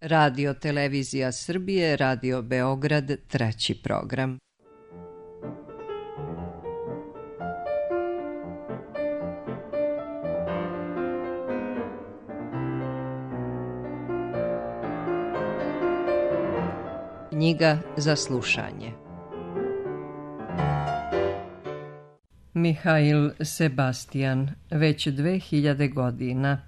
Radio Televizija Srbije, Radio Beograd, 3. program. Knjiga za slušanje. Mihail Sebastian, već 2000 godina.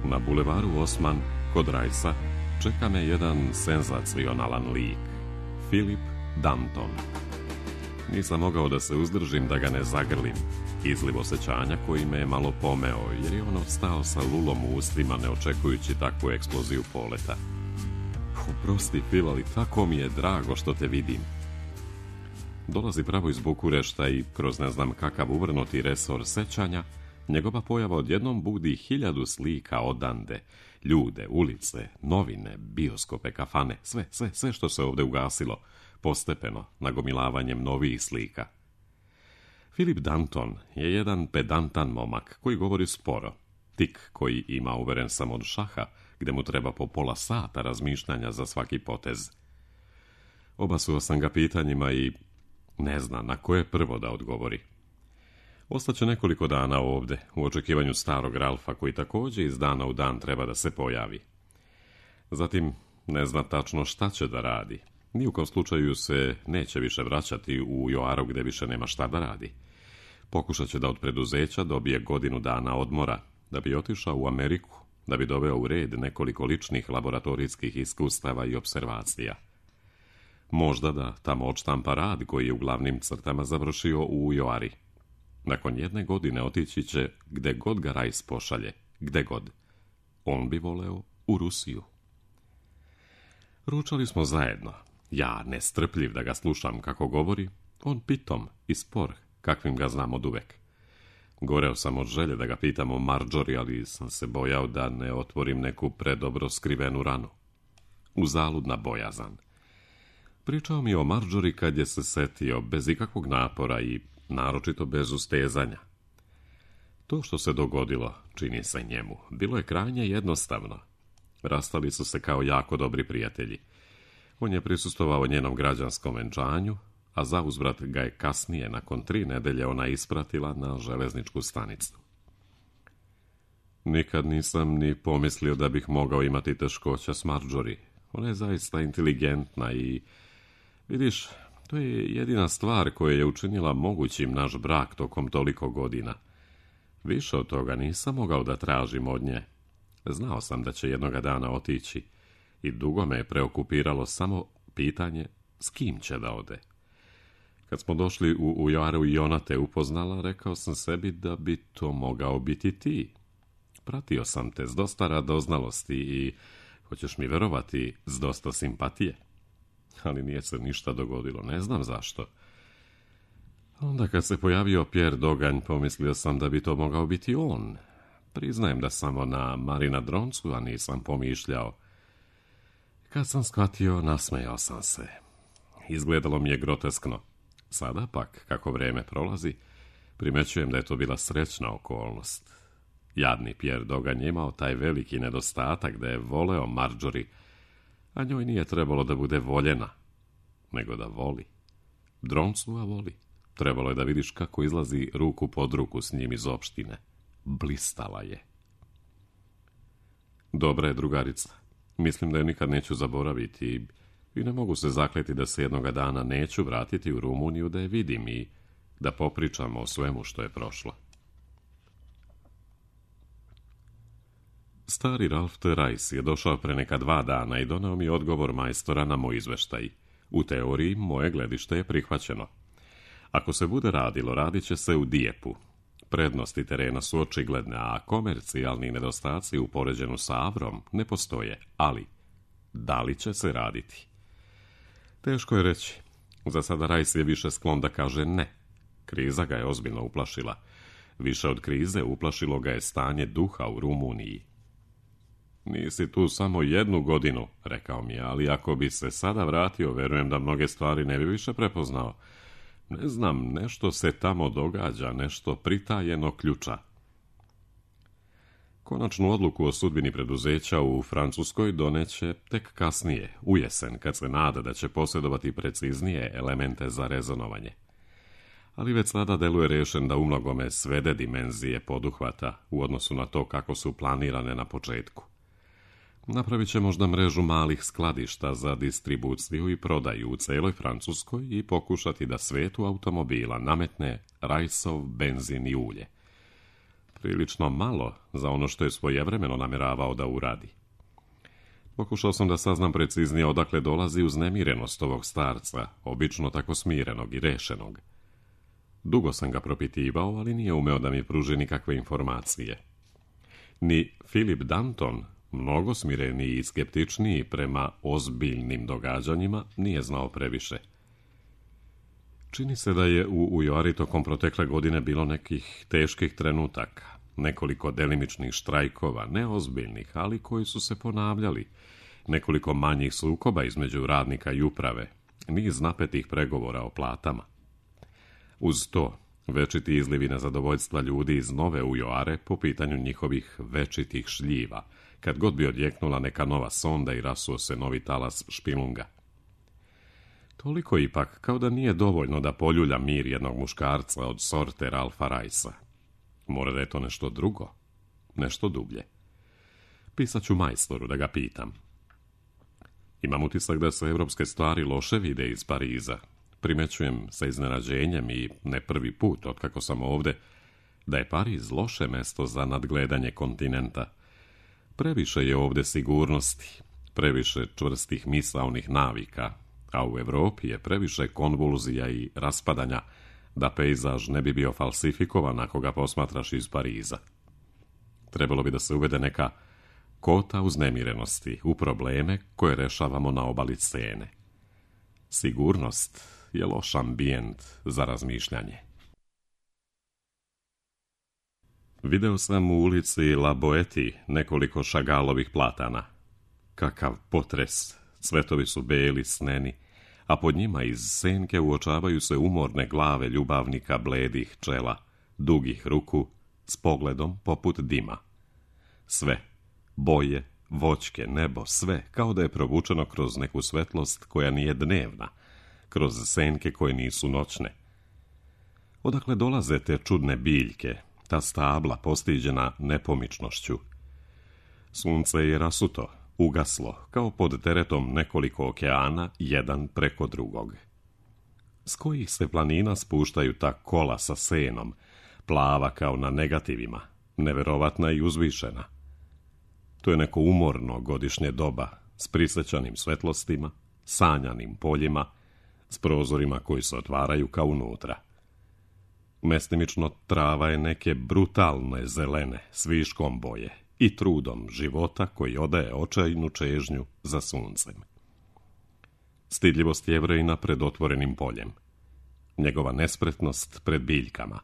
Na bulevaru Osman, kod Rajsa, čeka me jedan senzacionalan lik. Philip Danton. Nisam mogao da se uzdržim da ga ne zagrlim. Izliv osjećanja koji me je malo pomeo, jer je on ostao sa lulom u ustima, ne očekujući takvu eksploziju poleta. Oprosti, Phil, ali tako mi je drago što te vidim. Dolazi pravo iz Bukurešta i kroz ne znam kakav uvrnuti resor sećanja, njegova pojava odjednom budi 1000 slika odande, ljude, ulice, novine, bioskope, kafane, sve što se ovdje ugasilo, postepeno, nagomilavanjem novih slika. Philip Danton je jedan pedantan momak koji govori sporo, tik koji ima, uveren sam, od šaha, gde mu treba po pola sata razmišljanja za svaki potez. Obasuo sam ga pitanjima i ne zna na koje prvo da odgovori. Ostaće nekoliko dana ovde, u očekivanju starog Ralfa, koji također iz dana u dan treba da se pojavi. Zatim ne zna tačno šta će da radi. Ni u kom slučaju se neće više vraćati u Joaru gde više nema šta da radi. Pokušat će da od preduzeća dobije godinu dana odmora, da bi otišao u Ameriku, da bi doveo u red nekoliko ličnih laboratorijskih iskustava i observacija. Možda da tamo odštampa rad koji je u glavnim crtama završio u Joari. Nakon 1 godine otići će gde god ga Rajs pošalje, gde god. On bi voleo u Rusiju. Ručali smo zajedno. Ja nestrpljiv da ga slušam kako govori, on pitom i spor, kakvim ga znam od uvek. Goreo sam od želje da ga pitam o Marjorie, ali sam se bojao da ne otvorim neku predobro skrivenu ranu. Uzaludna bojazan. Pričao mi o Marjorie kad je se setio, bez ikakvog napora i naročito bez ustezanja. To što se dogodilo, čini se njemu, bilo je krajnje jednostavno. Rastali su se kao jako dobri prijatelji. On je prisustvovao njenom građanskom venčanju, a zauzvrat ga je kasnije, nakon 3 nedelje, ona ispratila na železničku stanicu. Nikad nisam ni pomislio da bih mogao imati teškoća s Marjorie. Ona je zaista inteligentna i, vidiš, to je jedina stvar koja je učinila mogućim naš brak tokom toliko godina. Više od toga nisam mogao da tražim od nje. Znao sam da će jednoga dana otići i dugo me je preokupiralo samo pitanje s kim će da ode. Kad smo došli u Joaru i ona te upoznala, rekao sam sebi da bi to mogao biti ti. Pratio sam te s dosta radoznalosti i, hoćeš mi verovati, s dosta simpatije. Ali nije se ništa dogodilo, ne znam zašto. Onda kad se pojavio Pierre Doganj, pomislio sam da bi to mogao biti on. Priznajem da samo na Marina Droncu, a nisam pomišljao. Kad sam shvatio, nasmejao sam se. Izgledalo mi je groteskno. Sada pak, kako vreme prolazi, primećujem da je to bila srećna okolnost. Jadni Pierre Doganj je imao taj veliki nedostatak da je voleo Marjorie, a njoj nije trebalo da bude voljena, nego da voli. Droncua voli. Trebalo je da vidiš kako izlazi ruku pod ruku s njim iz opštine. Blistala je. Dobra je drugarica. Mislim da je nikad neću zaboraviti i ne mogu se zakleti da se jednoga dana neću vratiti u Rumuniju da je vidim i da popričamo o svemu što je prošlo. Stari Ralf T. Rajs je došao pre neka 2 dana i doneo mi odgovor majstora na moj izveštaj. U teoriji moje gledište je prihvaćeno. Ako se bude radilo, radit će se u Dijepu. Prednosti terena su očigledne, a komercijalni nedostaci u poređenju sa Avrom ne postoje, ali da li će se raditi? Teško je reći. Za sada Rajs je više sklon da kaže ne. Kriza ga je ozbiljno uplašila. Više od krize uplašilo ga je stanje duha u Rumuniji. Nisi tu samo 1 godinu, rekao mi je, ali ako bi se sada vratio, verujem da mnoge stvari ne bi više prepoznao. Ne znam, nešto se tamo događa, nešto pritajeno ključa. Konačnu odluku o sudbini preduzeća u Francuskoj doneće tek kasnije, u jesen, kad se nada da će posjedovati preciznije elemente za rezonovanje. Ali već sada deluje rešen da umnogome svede dimenzije poduhvata u odnosu na to kako su planirane na početku. Napravit će možda mrežu malih skladišta za distribuciju i prodaju u celoj Francuskoj i pokušati da svetu automobila nametne rajsov, benzin i ulje. Prilično malo za ono što je svojevremeno namjeravao da uradi. Pokušao sam da saznam preciznije odakle dolazi uznemirenost ovog starca, obično tako smirenog i rešenog. Dugo sam ga propitivao, ali nije umeo da mi pruži nikakve informacije. Ni Philip Danton, mnogo smireniji i skeptičniji prema ozbiljnim događanjima, nije znao previše. Čini se da je u Ujoari tokom protekle godine bilo nekih teških trenutaka, nekoliko delimičnih štrajkova, neozbiljnih, ali koji su se ponavljali, nekoliko manjih sukoba između radnika i uprave, niz napetih pregovora o platama. Uz to, večiti izlivi nezadovoljstva ljudi iz Nove Ujoare po pitanju njihovih večitih šljiva, kad god bi odjeknula neka nova sonda i rasuo se novi talas špilunga. Toliko ipak, kao da nije dovoljno da poljulja mir jednog muškarca od sorte Ralfa Rajsa. Mora da je to nešto drugo, nešto dublje. Pisat ću majstoru da ga pitam. Imam utisak da se evropske stvari loše vide iz Pariza. Primećujem sa iznenađenjem i ne prvi put otkako sam ovde, da je Pariz loše mesto za nadgledanje kontinenta. Previše je ovde sigurnosti, previše čvrstih misaonih navika, a u Evropi je previše konvulzija i raspadanja da pejzaž ne bi bio falsifikovan ako ga posmatraš iz Pariza. Trebalo bi da se uvede neka kota uznemirenosti u probleme koje rešavamo na obali scene. Sigurnost je loš ambijent za razmišljanje. Video sam u ulici La Boétie nekoliko Chagalovih platana. Kakav potres! Cvetovi su beli, sneni, a pod njima iz senke uočavaju se umorne glave ljubavnika bledih čela, dugih ruku, s pogledom poput dima. Sve, boje, voćke, nebo, sve, kao da je provučeno kroz neku svetlost koja nije dnevna, kroz senke koje nisu noćne. Odakle dolaze te čudne biljke, ta stabla postiđena nepomičnošću? Sunce je rasuto, ugaslo, kao pod teretom nekoliko okeana, jedan preko drugog. S kojih se planina spuštaju ta kola sa senom, plava kao na negativima, neverovatna i uzvišena? To je neko umorno godišnje doba, s prisjećanim svetlostima, sanjanim poljima, s prozorima koji se otvaraju kao unutra. Mestimično trava je neke brutalne zelene, s viškom boje i trudom života koji odaje očajnu čežnju za suncem. Stidljivost Jevrejina pred otvorenim poljem, njegova nespretnost pred biljkama,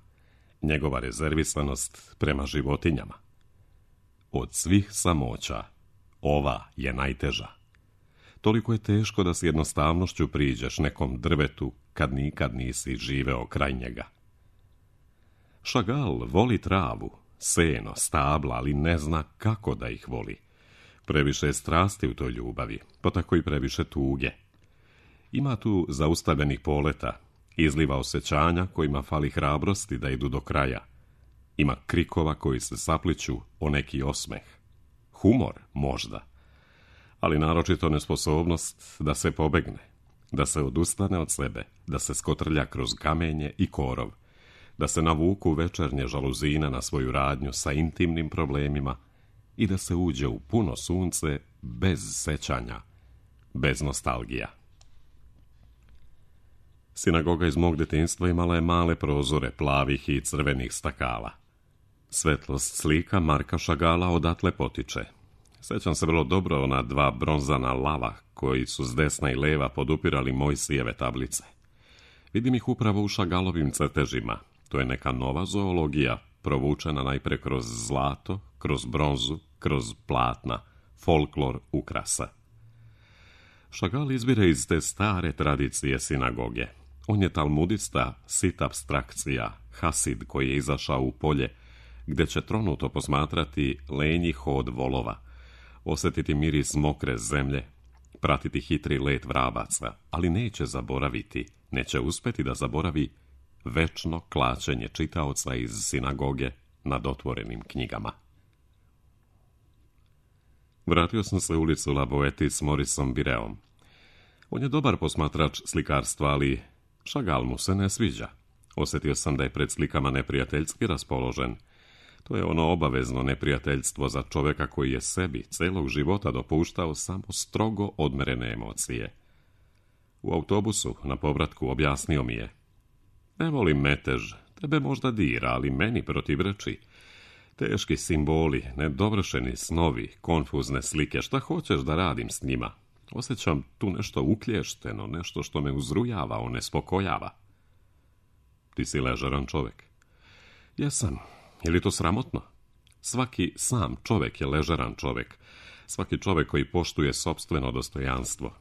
njegova rezervisanost prema životinjama. Od svih samoća, ova je najteža. Toliko je teško da s jednostavnošću priđeš nekom drvetu kad nikad nisi živeo kraj njega. Chagall voli travu, seno, stabla, ali ne zna kako da ih voli. Previše je strasti u toj ljubavi, pa tako i previše tuge. Ima tu zaustavljenih poleta, izliva osjećanja kojima fali hrabrosti da idu do kraja. Ima krikova koji se sapliću o neki osmeh. Humor, možda, ali naročito nesposobnost da se pobegne, da se odustane od sebe, da se skotrlja kroz kamenje i korov, da se navuku večernje žaluzine na svoju radnju sa intimnim problemima i da se uđe u puno sunce bez sećanja, bez nostalgija. Sinagoga iz mog detinjstva imala je male prozore plavih i crvenih stakala. Svetlost slika Marka Chagalla odatle potiče. Sećam se vrlo dobro ona dva bronzana lava koji su s desna i leva podupirali Mojsijeve tablice. Vidim ih upravo u Chagallovim crtežima. To je neka nova zoologija, provučena najpre kroz zlato, kroz bronzu, kroz platna, folklor ukrasa. Chagall izvire iz te stare tradicije sinagoge, On je talmudista, sit apstrakcija, hasid koji je izašao u polje, gdje će tronuto posmatrati lenji hod volova, osjetiti miris mokre zemlje, pratiti hitri let vrabaca, ali neće uspjeti da zaboravi večno klačenje čitaoca iz sinagoge nad otvorenim knjigama. Vratio sam se u ulicu La Boétie s Mauriceom Bireom. On je dobar posmatrač slikarstva, ali Chagall mu se ne sviđa. Osjetio sam da je pred slikama neprijateljski raspoložen. To je ono obavezno neprijateljstvo za čovjeka koji je sebi celog života dopuštao samo strogo odmerene emocije. U autobusu na povratku objasnio mi je: ne volim metež, tebe možda dira, ali meni protivreči. Teški simboli, nedovršeni snovi, konfuzne slike, šta hoćeš da radim s njima? Osjećam tu nešto uklješteno, nešto što me uzrujava, onespokojava. Ti si ležeran čovjek. Jesam. Je li to sramotno? Svaki sam čovjek je ležeran čovjek. Svaki čovjek koji poštuje sopstveno dostojanstvo.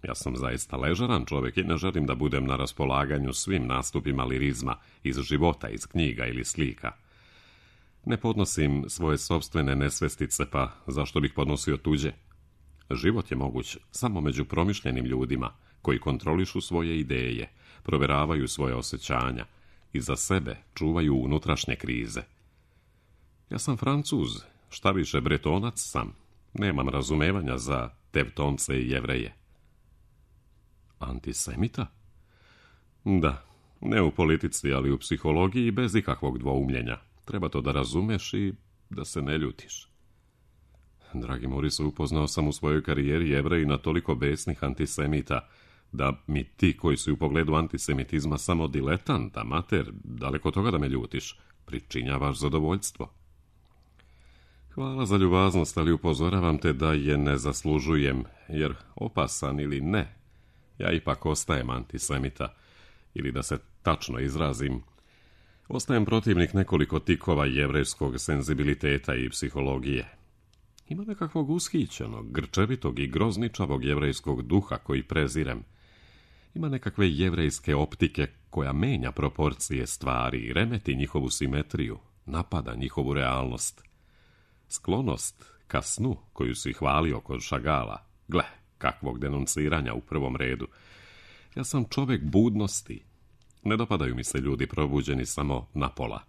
Ja sam zaista ležeran čovjek i ne želim da budem na raspolaganju svim nastupima lirizma iz života, iz knjiga ili slika. Ne podnosim svoje sopstvene nesvestice, pa zašto bih podnosio tuđe? Život je moguć samo među promišljenim ljudima koji kontrolišu svoje ideje, provjeravaju svoje osjećanja i za sebe čuvaju unutrašnje krize. Ja sam Francuz, šta više Bretonac sam. Nemam razumevanja za Tevtonce i Jevreje. Antisemita? Da, ne u politici, ali u psihologiji bez ikakvog dvoumljenja. Treba to da razumeš i da se ne ljutiš. Dragi Maurice, upoznao sam u svojoj karijeri Jevreji na toliko besnih antisemita, da mi ti koji si u pogledu antisemitizma samo diletant, amater, daleko toga da me ljutiš, pričinjavaš zadovoljstvo. Hvala za ljubaznost, ali upozoravam te da je ne zaslužujem, jer opasan ili ne, ja ipak ostajem antisemita, ili da se tačno izrazim, ostajem protivnik nekoliko tikova jevrejskog senzibiliteta i psihologije. Ima nekakvog ushićenog, grčevitog i grozničavog jevrejskog duha koji prezirem. Ima nekakve jevrejske optike koja menja proporcije stvari i remeti njihovu simetriju, napada njihovu realnost. Sklonost ka snu koju si hvalio kod Chagalla, gle, kakvog denunciranja u prvom redu. Ja sam čovjek budnosti. Ne dopadaju mi se ljudi probuđeni samo napola.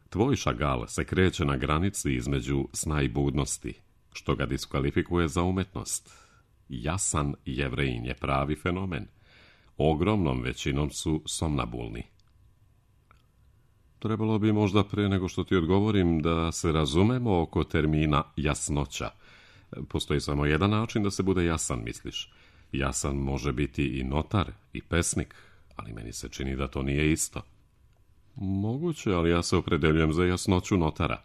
Tvoj Chagall se kreće na granici između sna i budnosti, što ga diskvalifikuje za umetnost. Jasan Jevrejin je pravi fenomen. Ogromnom većinom su somnabulni. Trebalo bi možda pre nego što ti odgovorim da se razumemo oko termina jasnoća. Postoji samo jedan način da se bude jasan, misliš. Jasan može biti i notar i pesnik, ali meni se čini da to nije isto. Moguće, ali ja se opredeljujem za jasnoću notara.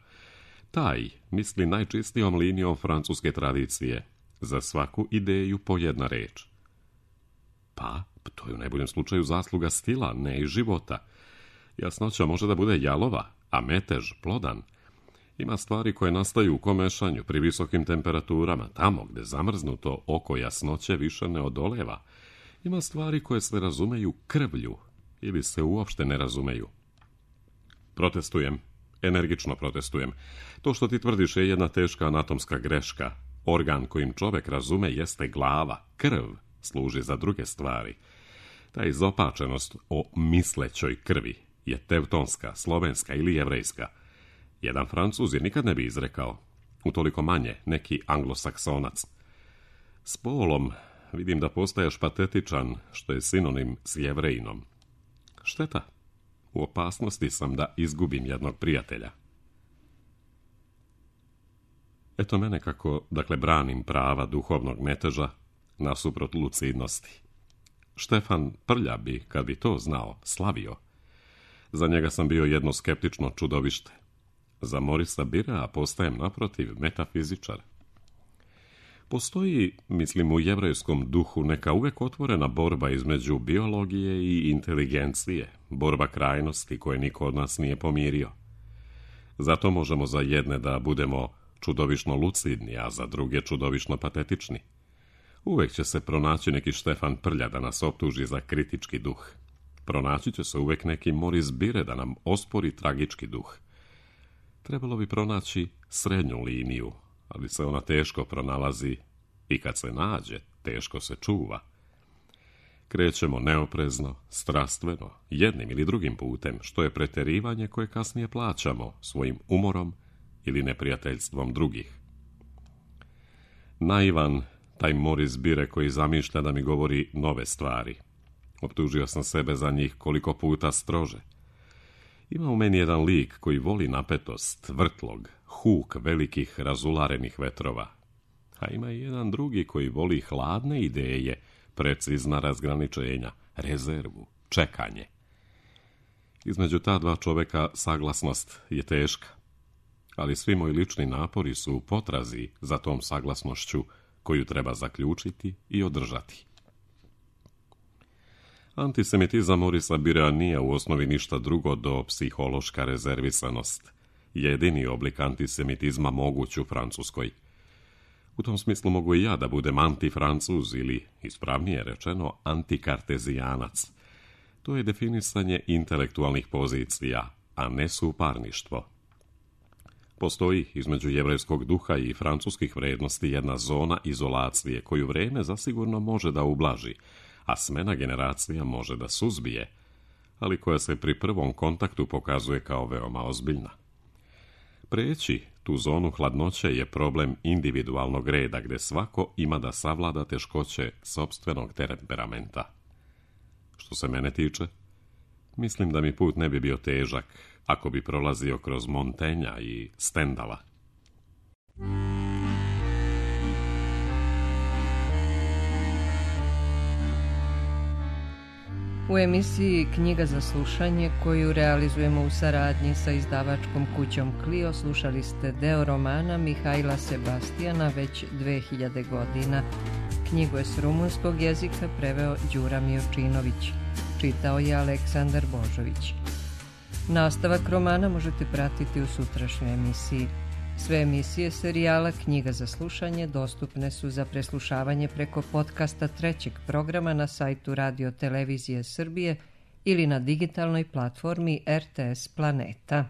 Taj misli najčistijom linijom francuske tradicije. Za svaku ideju po jedna reč. Pa, to je u najboljem slučaju zasluga stila, ne i života. Jasnoća može da bude jalova, a metež plodan. Ima stvari koje nastaju u komešanju pri visokim temperaturama, tamo gde zamrznuto oko jasnoće više ne odoleva. Ima stvari koje se razumeju krvlju ili se uopšte ne razumeju. Protestujem, energično protestujem. To što ti tvrdiš je jedna teška anatomska greška. Organ kojim čovjek razume jeste glava, krv služi za druge stvari. Ta izopačenost o mislećoj krvi je tevtonska, slovenska ili jevrejska. Jedan Francuz je nikad ne bi izrekao, utoliko manje neki anglosaksonac. S polom vidim da postaješ patetičan, što je sinonim s Jevrejinom. Šteta, u opasnosti sam da izgubim jednog prijatelja. Eto mene kako, branim prava duhovnog meteža nasuprot lucidnosti. Štefan Prlja bi, kad bi to znao, slavio. Za njega sam bio jedno skeptično čudovište. Za Maurica Birea postajem naprotiv metafizičar. Postoji, mislim, u jevrejskom duhu neka uvek otvorena borba između biologije i inteligencije, borba krajnosti koje niko od nas nije pomirio. Zato možemo za jedne da budemo čudovišno lucidni, a za druge čudovišno patetični. Uvek će se pronaći neki Štefan Prlja da nas optuži za kritički duh. pronaći će se uvek neki Moris Bire da nam ospori tragički duh. Trebalo bi pronaći srednju liniju, ali se ona teško pronalazi i kad se nađe, teško se čuva. Krećemo neoprezno, strastveno, jednim ili drugim putem, što je preterivanje koje kasnije plaćamo svojim umorom ili neprijateljstvom drugih. Naivan, taj Moris Bire koji zamišlja da mi govori nove stvari. Optužio sam sebe za njih koliko puta strože. Ima u meni jedan lik koji voli napetost, vrtlog, huk velikih razularenih vetrova. A ima i jedan drugi koji voli hladne ideje, precizna razgraničenja, rezervu, čekanje. Između ta dva čoveka saglasnost je teška, ali svi moji lični napori su u potrazi za tom saglasnošću koju treba zaključiti i održati. Antisemitizam Morisa Birea nije u osnovi ništa drugo do psihološka rezervisanost, jedini oblik antisemitizma moguć u Francuskoj. U tom smislu mogu i ja da budem antifrancuz ili, ispravnije rečeno, antikartezijanac. To je definisanje intelektualnih pozicija, a ne suparništvo. Postoji između jevrejskog duha i francuskih vrednosti jedna zona izolacije koju vreme zasigurno može da ublaži, a smena generacija može da suzbije, ali koja se pri prvom kontaktu pokazuje kao veoma ozbiljna. Preći tu zonu hladnoće je problem individualnog reda, gde svako ima da savlada teškoće sopstvenog temperamenta. Što se mene tiče, mislim da mi put ne bi bio težak ako bi prolazio kroz Montenja i Stendala. U emisiji Knjiga za slušanje, koju realizujemo u saradnji sa izdavačkom kućom Clio, slušali ste deo romana Mihajla Sebastijana već 2000 godina. Knjigu je s rumunskog jezika preveo Đura Miočinović. Čitao je Aleksandar Božović. Nastavak romana možete pratiti u sutrašnjoj emisiji. Sve emisije serijala Knjiga za slušanje dostupne su za preslušavanje preko podcasta trećeg programa na sajtu Radio Televizije Srbije ili na digitalnoj platformi RTS Planeta.